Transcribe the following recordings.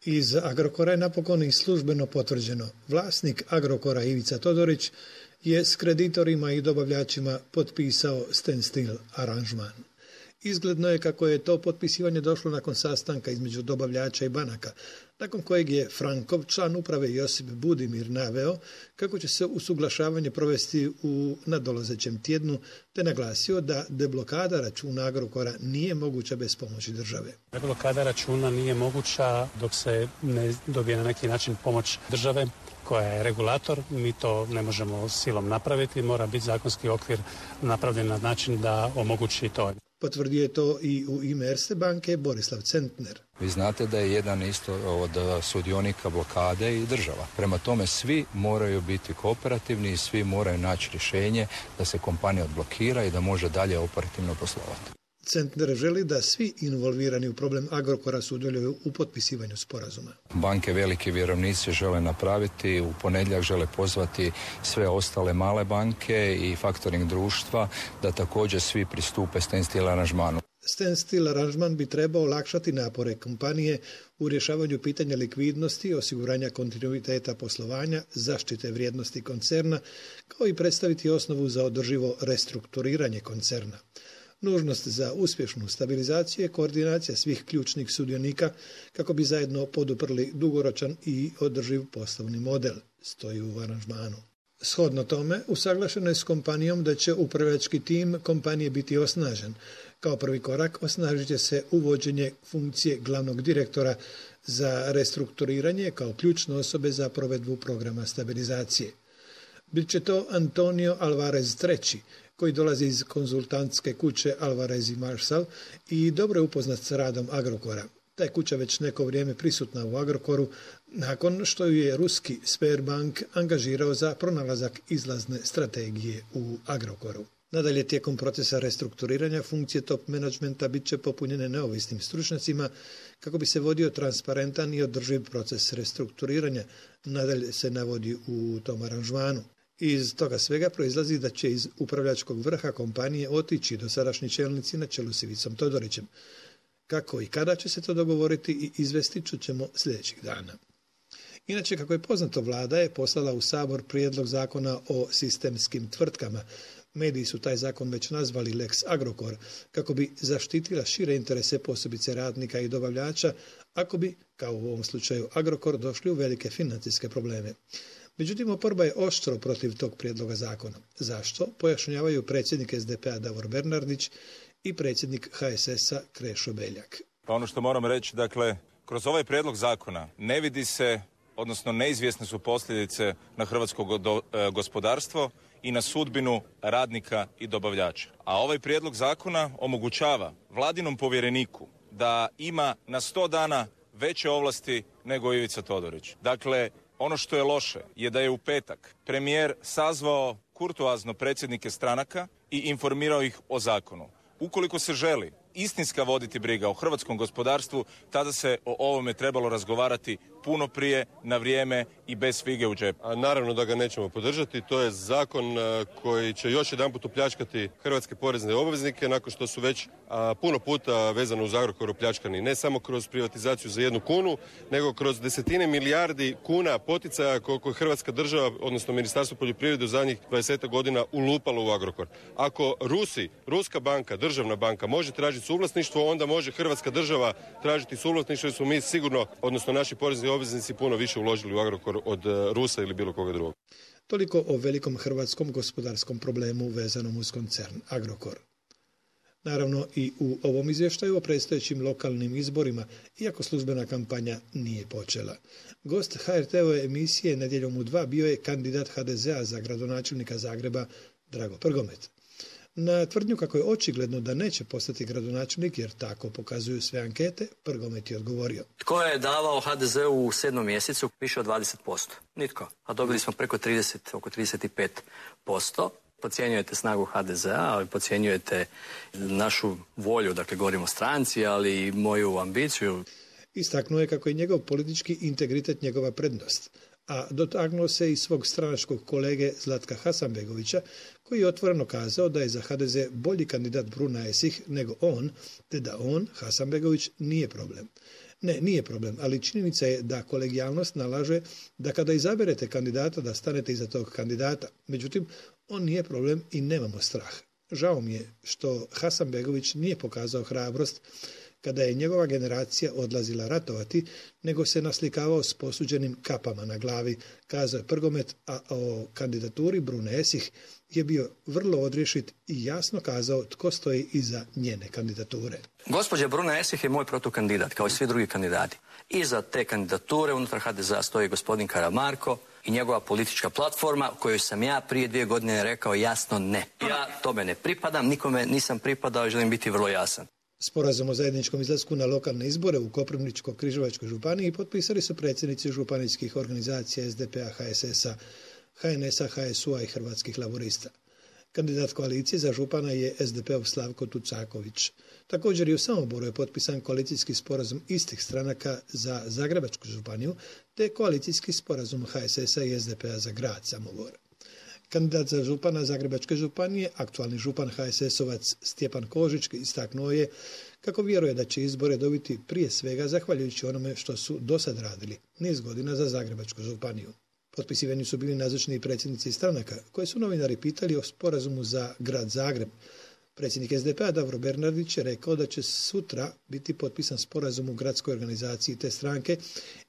Iz Agrokora je napokon i službeno potvrđeno. Vlasnik Agrokora Ivica Todorić je s kreditorima i dobavljačima potpisao standstill aranžman. Izgledno je kako je to potpisivanje došlo nakon sastanka između dobavljača i banaka, nakon kojeg je Frankov, član uprave Josip Budimir, naveo kako će se usuglašavanje provesti u nadolazećem tjednu, te naglasio da deblokada računa Agrokora nije moguća bez pomoći države. Deblokada računa nije moguća dok se ne dobije na neki način pomoć države koja je regulator. Mi to ne možemo silom napraviti, mora biti zakonski okvir napravljen na način da omogući to. Potvrdio je to i u ime Erste banke Borislav Centner. Vi znate da je jedan isto od sudionika blokade i država. Prema tome svi moraju biti kooperativni i svi moraju naći rješenje da se kompanija odblokira i da može dalje operativno poslovati. Centner želi da svi involvirani u problem Agrokora sudjeluju u potpisivanju sporazuma. Banke, veliki vjerovnici žele napraviti, u ponedjeljak žele pozvati sve ostale male banke i faktoring društva da također svi pristupe standstill aranžmanu. Standstill aranžman bi trebao olakšati napore kompanije u rješavanju pitanja likvidnosti, osiguranja kontinuiteta poslovanja, zaštite vrijednosti koncerna, kao i predstaviti osnovu za održivo restrukturiranje koncerna. Nužnost za uspješnu stabilizaciju je koordinacija svih ključnih sudionika kako bi zajedno poduprli dugoročan i održiv poslovni model, stoji u aranžmanu. Shodno tome, usaglašeno je s kompanijom da će upravljački tim kompanije biti osnažen. Kao prvi korak osnažit će se uvođenje funkcije glavnog direktora za restrukturiranje kao ključne osobe za provedbu programa stabilizacije. Bit će to Antonio Alvarez III, koji dolazi iz konzultantske kuće Alvarez i Marshall i dobro je upoznat s radom Agrokora. Ta je kuća već neko vrijeme prisutna u Agrokoru nakon što ju je ruski Sberbank angažirao za pronalazak izlazne strategije u Agrokoru. Nadalje, tijekom procesa restrukturiranja funkcije top menadžmenta bit će popunjene neovisnim stručnjacima kako bi se vodio transparentan i održiv proces restrukturiranja. Nadalje se navodi u tom aranžmanu. Iz toga svega proizlazi da će iz upravljačkog vrha kompanije otići dosadašnji čelnici na čelu s Ivicom Todorićem. Kako i kada će se to dogovoriti i izvesti, čućemo sljedećih dana. Inače, kako je poznato, vlada je poslala u Sabor prijedlog zakona o sistemskim tvrtkama. Mediji su taj zakon već nazvali Lex Agrokor, kako bi zaštitila šire interese posebice radnika i dobavljača, ako bi, kao u ovom slučaju Agrokor, došli u velike financijske probleme. Međutim, oporba je oštro protiv tog prijedloga zakona. Zašto? Pojašnjavaju predsjednik SDP-a Davor Bernardić i predsjednik HSS-a Krešo Beljak. Pa ono što moram reći, dakle, kroz ovaj prijedlog zakona ne vidi se, odnosno neizvjesne su posljedice na hrvatsko gospodarstvo i na sudbinu radnika i dobavljača. A ovaj prijedlog zakona omogućava vladinom povjereniku da ima na 100 dana veće ovlasti nego Ivica Todorić. Dakle, ono što je loše je da je u petak premijer sazvao kurtoazno predsjednike stranaka i informirao ih o zakonu. Ukoliko se želi istinska voditi briga o hrvatskom gospodarstvu, tada se o ovome trebalo razgovarati puno prije, na vrijeme i bez fige u džepu. Naravno da ga nećemo podržati. To je zakon koji će još jedanput opljačkati hrvatske porezne obveznike nakon što su već puno puta vezano uz Agrokor opljačkani. Ne samo kroz privatizaciju za 1 kunu, nego kroz desetine milijardi kuna poticaja koliko je hrvatska država, odnosno Ministarstvo poljoprivrede u zadnjih 20 godina ulupalo u Agrokor. Ako ruska banka, državna banka može tražiti suvlasništvo, onda može hrvatska država tražiti suvlasništvo jer smo mi sigurno, odnosno naši porezni obveznici puno više uložili u Agrokor od Rusa ili bilo koga drugog. Toliko o velikom hrvatskom gospodarskom problemu vezanom uz koncern Agrokor. Naravno i u ovom izvještaju o predstojećim lokalnim izborima, iako službena kampanja nije počela. Gost HRT-ove emisije Nedjeljom u 2 bio je kandidat HDZ-a za gradonačelnika Zagreba Drago Prgomet. Na tvrdnju kako je očigledno da neće postati gradonačelnik, jer tako pokazuju sve ankete, Prgomet je odgovorio. Tko je davao HDZ-u u 7. mjesecu više od 20%? Nitko. A dobili smo preko 30, oko 35%. Podcjenjujete snagu HDZ-a, ali podcjenjujete našu volju, dakle govorimo o stranci, ali i moju ambiciju. Istaknuo je kako je njegov politički integritet njegova prednost, a dotaknuo se i svog stranačkog kolege Zlatka Hasanbegovića, koji je otvoreno kazao da je za HDZ bolji kandidat Bruna Esih nego on, te da on, Hasanbegović, nije problem. Ne, nije problem, ali činjenica je da kolegijalnost nalaže da kada izaberete kandidata da stanete iza tog kandidata. Međutim, on nije problem i nemamo strah. Žao mi je što Hasanbegović nije pokazao hrabrost kada je njegova generacija odlazila ratovati, nego se naslikavao s posuđenim kapama na glavi, kazao je Prgomet, a o kandidaturi Brune Esih je bio vrlo odrješit i jasno kazao tko stoji iza njene kandidature. Gospođa Bruna Esih je moj protukandidat, kao i svi drugi kandidati. Iza te kandidature unutar HDZ-a stoji gospodin Karamarko i njegova politička platforma kojoj sam ja prije 2 godine rekao jasno ne. Ja tome ne pripadam, nikome nisam pripadao i želim biti vrlo jasan. Sporazum o zajedničkom izlasku na lokalne izbore u Koprivničko-Križevačkoj županiji potpisali su predsjednici županijskih organizacija SDP-a, HSS-a, HNS-a, HSU-a i Hrvatskih laborista. Kandidat koalicije za župana je SDP-ov Slavko Tucaković. Također i u Samoboru je potpisan koalicijski sporazum istih stranaka za Zagrebačku županiju, te koalicijski sporazum HSS-a i SDP-a za grad Samobor. Kandidat za župana Zagrebačke županije, aktualni župan HSS-ovac Stjepan Kožić, istaknuo je kako vjeruje da će izbore dobiti prije svega zahvaljujući onome što su dosad radili niz godina za Zagrebačku županiju. Potpisivani su bili nazočni predsjednici stranaka koje su novinari pitali o sporazumu za grad Zagreb. Predsjednik SDP-a Davor Bernardić je rekao da će sutra biti potpisan sporazum u gradskoj organizaciji te stranke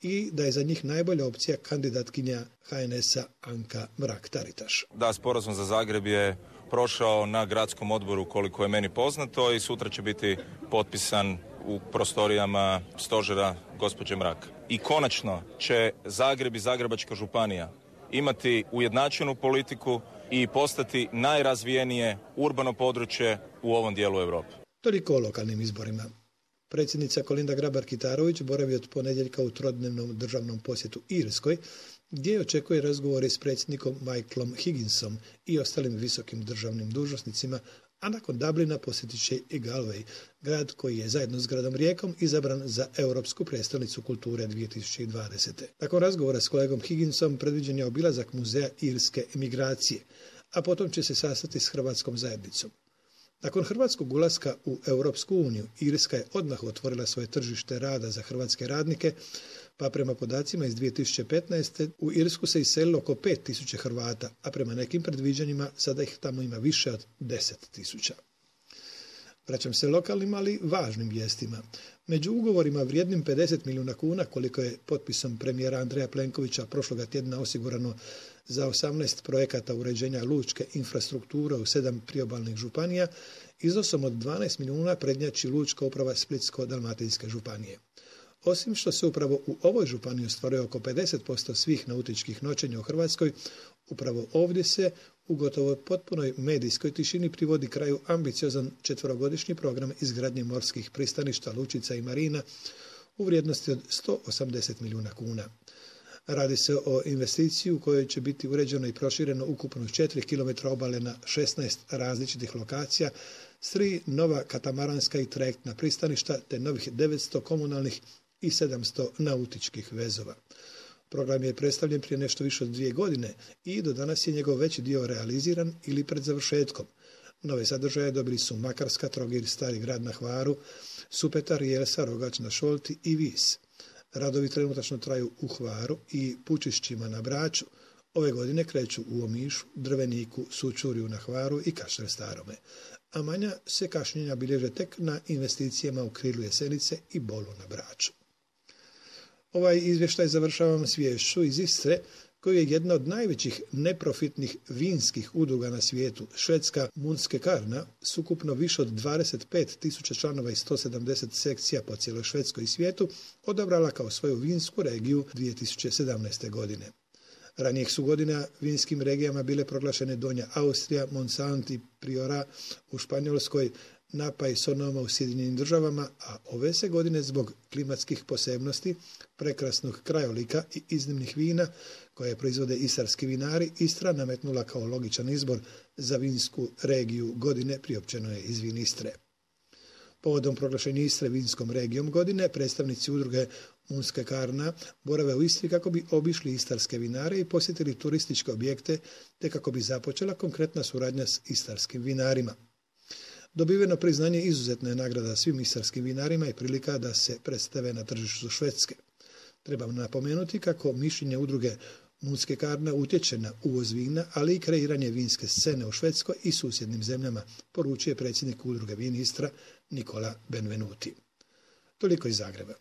i da je za njih najbolja opcija kandidatkinja HNS-a Anka Mrak-Taritaš. Da, sporazum za Zagreb je prošao na gradskom odboru koliko je meni poznato i sutra će biti potpisan u prostorijama stožera gospođe Mrak. I konačno će Zagreb i Zagrebačka županija imati ujednačenu politiku i postati najrazvijenije urbano područje u ovom dijelu Europe. Toliko o lokalnim izborima. Predsjednica Kolinda Grabar-Kitarović boravi od ponedjeljka u trodnevnom državnom posjetu Irskoj, gdje očekuje razgovore s predsjednikom Michaelom Higginsom i ostalim visokim državnim dužnosnicima, a nakon Dublina posjetit će i Galway, grad koji je zajedno s gradom Rijekom izabran za Europsku prijestolnicu kulture 2020. Nakon razgovora s kolegom Higginsom predviđen je obilazak muzeja irske emigracije, a potom će se sastati s hrvatskom zajednicom. Nakon hrvatskog ulaska u Europsku uniju, Irska je odmah otvorila svoje tržište rada za hrvatske radnike, pa prema podacima iz 2015. u Irsku se iselilo oko 5.000 Hrvata, a prema nekim predviđanjima sada ih tamo ima više od 10.000. Vraćam se lokalnim, ali važnim vijestima. Među ugovorima vrijednim 50 milijuna kuna, koliko je potpisom premijera Andreja Plenkovića prošloga tjedna osigurano za 18 projekata uređenja lučke infrastrukture u 7 priobalnih županija, iznosom od 12 milijuna prednjači Lučka uprava Splitsko-dalmatinske županije. Osim što se upravo u ovoj županiji ostvaruje oko 50% svih nautičkih noćenja u Hrvatskoj, upravo ovdje se u gotovo potpunoj medijskoj tišini privodi kraju ambiciozan 4-godišnji program izgradnje morskih pristaništa, lučica i marina u vrijednosti od 180 milijuna kuna. Radi se o investiciji u kojoj će biti uređeno i prošireno ukupno 4 km obale na 16 različitih lokacija, s 3 nova katamaranska i trajektna pristaništa te novih 900 komunalnih i 700 nautičkih vezova. Program je predstavljen prije nešto više od 2 godine i do danas je njegov veći dio realiziran ili pred završetkom. Nove sadržaje dobili su Makarska, Trogir, Stari grad na Hvaru, Supetar, Jelsa, Rogač na Šolti i Vis. Radovi trenutačno traju u Hvaru i Pučišćima na Braču. Ove godine kreću u Omišu, Drveniku, Sučurju na Hvaru i Kaštel Starome. A manja se kašnjenja bilježe tek na investicijama u Krilu Jesenice i Bolu na Braču. Ovaj izvještaj završavam s viješću iz Istre, koji je jedna od najvećih neprofitnih vinskih udruga na svijetu, švedska Munske Karna, s ukupno više od 25.000 članova i 170 sekcija po cijeloj Švedskoj i svijetu, odabrala kao svoju vinsku regiju 2017. godine. Ranijih su godina vinskim regijama bile proglašene Donja Austrija, Monsanto i Priora u Španjolskoj, Napa i Sonoma u Sjedinjenim državama, a ove se godine zbog klimatskih posebnosti, prekrasnog krajolika i iznimnih vina koje proizvode istarski vinari, Istra nametnula kao logičan izbor za vinsku regiju godine, priopćeno je iz Vin Istre. Povodom proglašenja Istre vinskom regijom godine, predstavnici udruge Munske Karna borave u Istri kako bi obišli istarske vinare i posjetili turističke objekte, te kako bi započela konkretna suradnja s istarskim vinarima. Dobiveno priznanje izuzetna je nagrada svim istarskim vinarima i prilika da se predstave na tržištu Švedske. Treba napomenuti kako mišljenje udruge Munske Karna utječe na uvoz vina, ali i kreiranje vinske scene u Švedskoj i susjednim zemljama, poručuje predsjednik udruge Vin Istra Nikola Benvenuti. Toliko iz Zagreba.